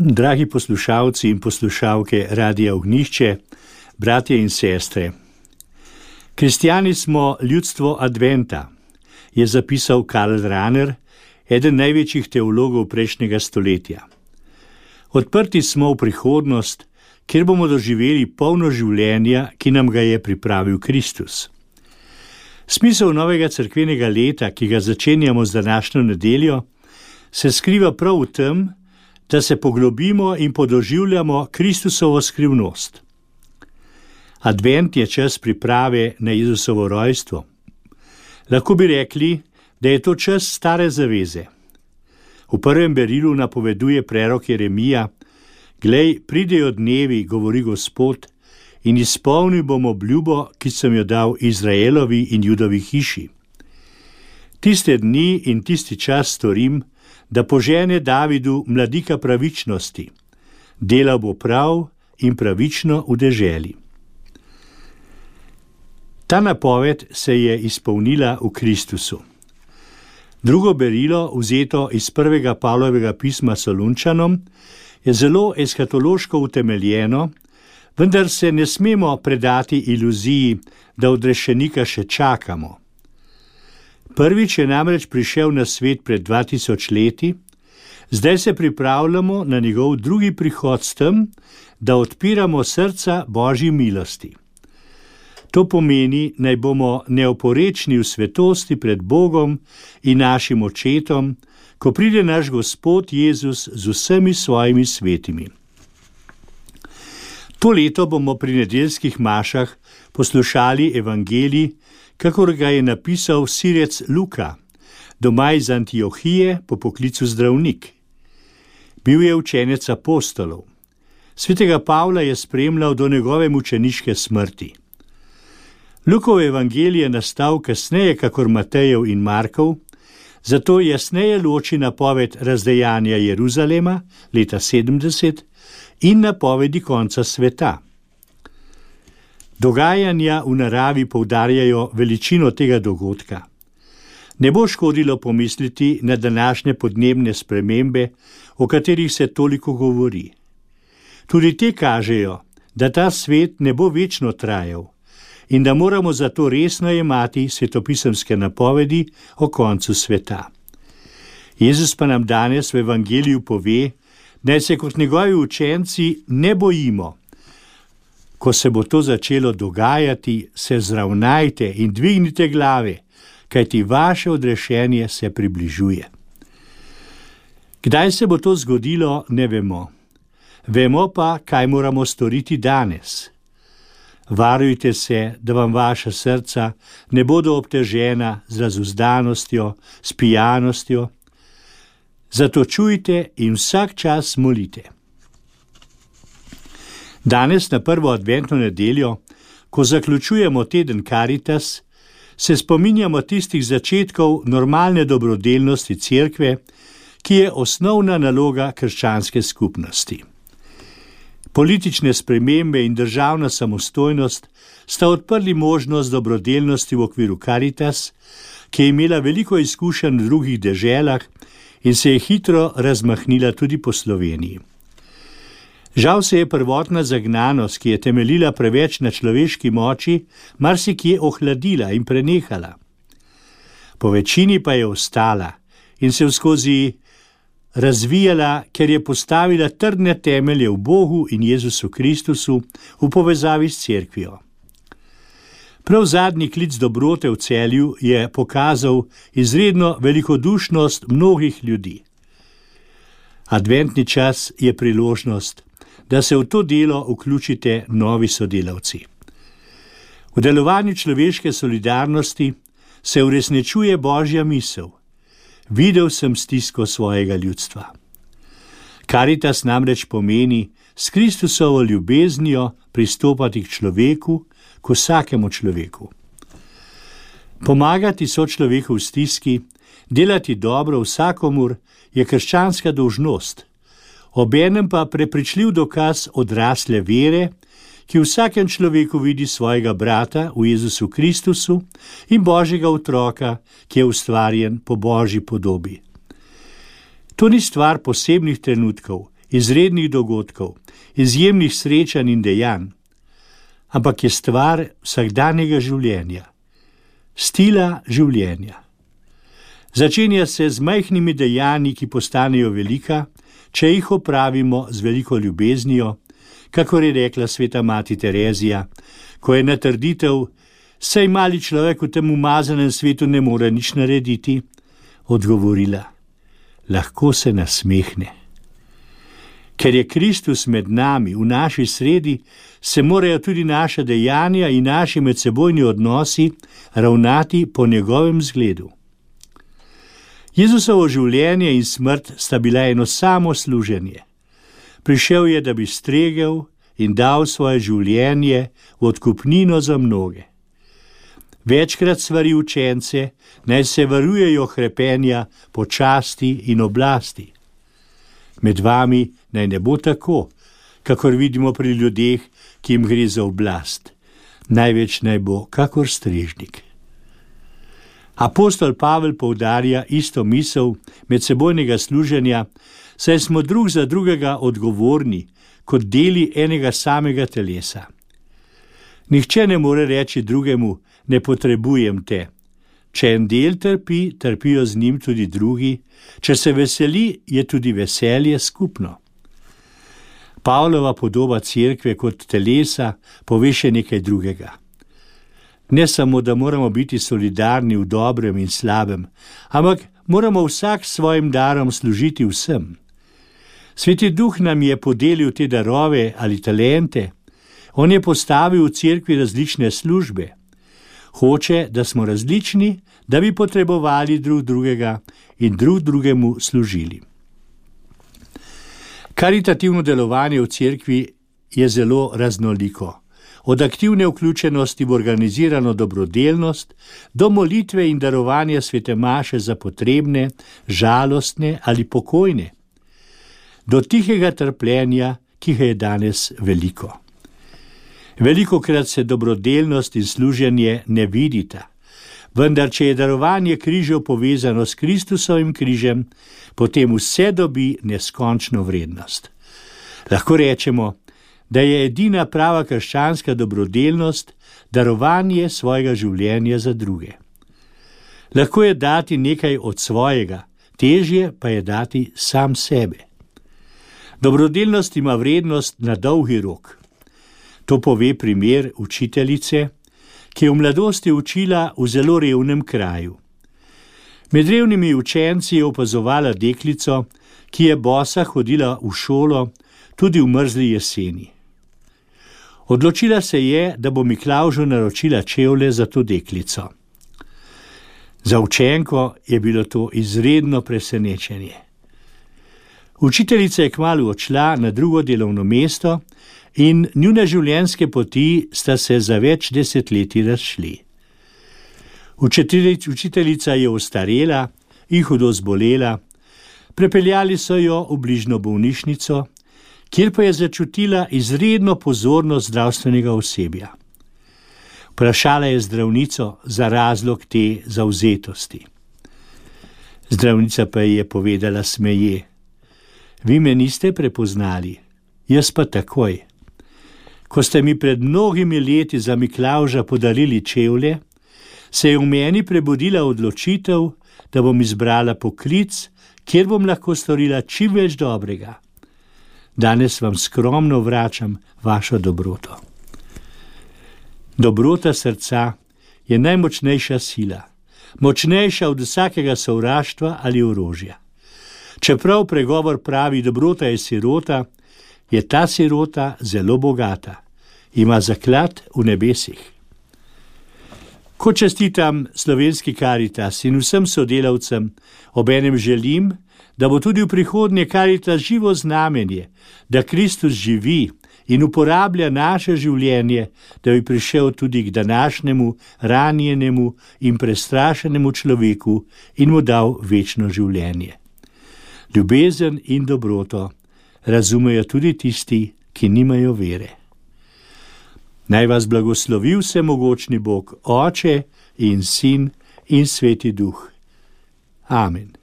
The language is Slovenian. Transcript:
Dragi poslušalci in poslušalke Radia Ognjišče, bratje in sestre. Kristjani smo ljudstvo adventa, je zapisal Karl Rahner, eden največjih teologov prejšnjega stoletja. Odprti smo v prihodnost, kjer bomo doživeli polno življenja, ki nam ga je pripravil Kristus. Smisel novega cerkvenega leta, ki ga začenjamo z današnjo nedeljo, se skriva prav v tem, da se poglobimo in podoživljamo Kristusovo skrivnost. Advent je čas priprave na Jezusovo rojstvo. Lahko bi rekli, da je to čas stare zaveze. V prvem berilu napoveduje prerok Jeremija: "Glej, pridejo dnevi, govori Gospod, in izpolnil bom obljubo, ki sem jo dal Izraelovi in Judovi hiši. Tiste dni in tisti čas storim, da požene Davidu mladika pravičnosti. Delal bo prav in pravično v deželi." Ta napoved se je izpolnila v Kristusu. Drugo berilo, vzeto iz prvega Pavlovega pisma Solunčanom, je zelo eskatološko utemeljeno, vendar se ne smemo predati iluziji, da odrešenika še čakamo. Prvič je namreč prišel na svet pred 2000 leti, zdaj se pripravljamo na njegov drugi prihod s tem, da odpiramo srca Božji milosti. To pomeni, naj bomo neoporečni v svetosti pred Bogom in našim očetom, ko pride naš Gospod Jezus z vsemi svojimi svetimi. To leto bomo pri nedeljskih mašah poslušali evangelij, kakor ga je napisal Sirec Luka, doma iz Antiohije, po poklicu zdravnik. Bil je učenec apostolov. Svetega Pavla je spremljal do njegove mučeniške smrti. Lukov evangelij je nastal kasneje kakor Matejev in Markov, zato jasneje loči napoved razdejanja Jeruzalema leta 70 in napovedi konca sveta. Dogajanja v naravi poudarjajo veličino tega dogodka. Ne bo škodilo pomisliti na današnje podnebne spremembe, o katerih se toliko govori. Tudi te kažejo, da ta svet ne bo večno trajal in da moramo zato resno jemati svetopisemske napovedi o koncu sveta. Jezus pa nam danes v evangeliju pove, naj se kot njegovi učenci ne bojimo. Ko se bo to začelo dogajati, se zravnajte in dvignite glave, kajti vaše odrešenje se približuje. Kdaj se bo to zgodilo, ne vemo. Vemo pa, kaj moramo storiti danes. Varujte se, da vam vaša srca ne bodo obtežena z razuzdanostjo, s pijanostjo. Zato čujte in vsak čas molite. Danes na prvo adventno nedeljo, ko zaključujemo teden Karitas, se spominjamo tistih začetkov normalne dobrodelnosti cerkve, ki je osnovna naloga krščanske skupnosti. Politične spremembe in državna samostojnost sta odprli možnost dobrodelnosti v okviru Karitas, ki je imela veliko izkušenj v drugih deželah in se je hitro razmahnila tudi po Sloveniji. Žal se je prvotna zagnanost, ki je temeljila preveč na človeški moči, marsikje ohladila in prenehala. Po večini pa je ostala in se skozi razvijala, ker je postavila trdne temelje v Bogu in Jezusu Kristusu v povezavi s cerkvijo. Prav zadnji klic dobrote v Celju je pokazal izredno velikodušnost mnogih ljudi. Adventni čas je priložnost, da se v to delo vključite novi sodelavci. V delovanju človeške solidarnosti se uresničuje Božja misel. Videl sem stisko svojega ljudstva. Karitas namreč pomeni s Kristusovo ljubeznijo pristopati k človeku, k vsakemu človeku. Pomagati sočloveku v stiski, delati dobro vsakomur je krščanska dolžnost, obenem pa prepričljiv dokaz odrasle vere, ki v vsakem človeku vidi svojega brata v Jezusu Kristusu in Božjega otroka, ki je ustvarjen po Božji podobi. To ni stvar posebnih trenutkov izrednih dogodkov, izjemnih srečanj in dejanj, ampak je stvar vsakdanjega življenja, stila življenja. Začenja se z majhnimi dejanji, ki postanejo velika, če jih opravimo z veliko ljubeznijo, kakor je rekla sveta mati Terezija, ko je na trditev, saj mali človek v tem umazanem svetu ne more nič narediti, odgovorila, lahko se nasmehne. Ker je Kristus med nami, v naši sredi, se morajo tudi naša dejanja in naši medsebojni odnosi ravnati po njegovem zgledu. Jezusovo življenje in smrt sta bila eno samo služenje. Prišel je, da bi stregel in dal svoje življenje v odkupnino za mnoge. Večkrat svari učence, naj se varujejo hrepenja po časti in oblasti. Med vami naj ne bo tako, kakor vidimo pri ljudeh, ki jim gre za oblast. Največ naj bo kakor strežnik. Apostol Pavel poudarja isto misel medsebojnega služenja, saj smo drug za drugega odgovorni, kot deli enega samega telesa. Nihče ne more reči drugemu, ne potrebujem te. Če en del trpi, trpijo z njim tudi drugi, če se veseli, je tudi veselje skupno. Pavlova podoba cerkve kot telesa pove še nekaj drugega. Ne samo, da moramo biti solidarni v dobrem in slabem, ampak moramo vsak s svojim darom služiti vsem. Sveti Duh nam je podelil te darove ali talente, on je postavil v cerkvi različne službe. Hoče, da smo različni, da bi potrebovali drug drugega in drug drugemu služili. Karitativno delovanje v cerkvi je zelo raznoliko. Od aktivne vključenosti v organizirano dobrodelnost do molitve in darovanja svete maše za potrebne, žalostne ali pokojne. Do tihega trpljenja, ki ga je danes veliko. Velikokrat se dobrodelnost in služenje ne vidita, vendar če je darovanje križev povezano s Kristusovim križem, potem vse dobi neskončno vrednost. Lahko rečemo, da je edina prava krščanska dobrodelnost darovanje svojega življenja za druge. Lahko je dati nekaj od svojega, težje pa je dati sam sebe. Dobrodelnost ima vrednost na dolgi rok. To pove primer učiteljice, ki je v mladosti učila v zelo revnem kraju. Med revnimi učenci je opazovala deklico, ki je bosa hodila v šolo tudi v mrzli jeseni. Odločila se je, da bo Miklavžu naročila čevlje za to deklico. Za učenko je bilo to izredno presenečenje. Učiteljica je kmalu odšla na drugo delovno mesto in njune življenjske poti sta se za več desetletij razšli. Učiteljica je ostarela in hudo zbolela, prepeljali so jo v bližnjo bolnišnico, kjer pa je začutila izredno pozornost zdravstvenega osebja. Vprašala je zdravnico za razlog te zavzetosti. Zdravnica pa ji je povedala smeje: vi me niste prepoznali, jaz pa takoj. Ko ste mi pred mnogimi leti za Miklavža podarili čevlje, se je v meni prebudila odločitev, da bom izbrala poklic, kjer bom lahko storila čim več dobrega. Danes vam skromno vračam vašo dobroto. Dobrota srca je najmočnejša sila, močnejša od vsakega sovraštva ali orožja. Čeprav pregovor pravi, dobrota je sirota, je ta sirota zelo bogata, ima zaklad v nebesih. Ko čestitam Slovenski Karitas in vsem sodelavcem, obenem želim, da bo tudi v prihodnje Karitas živo znamenje, da Kristus živi in uporablja naše življenje, da bi prišel tudi k današnjemu ranjenemu in prestrašenemu človeku in mu dal večno življenje. Ljubezen in dobroto razumejo tudi tisti, ki nimajo vere. Naj vas blagoslovi vsemogočni Bog, Oče in Sin in Sveti Duh. Amen.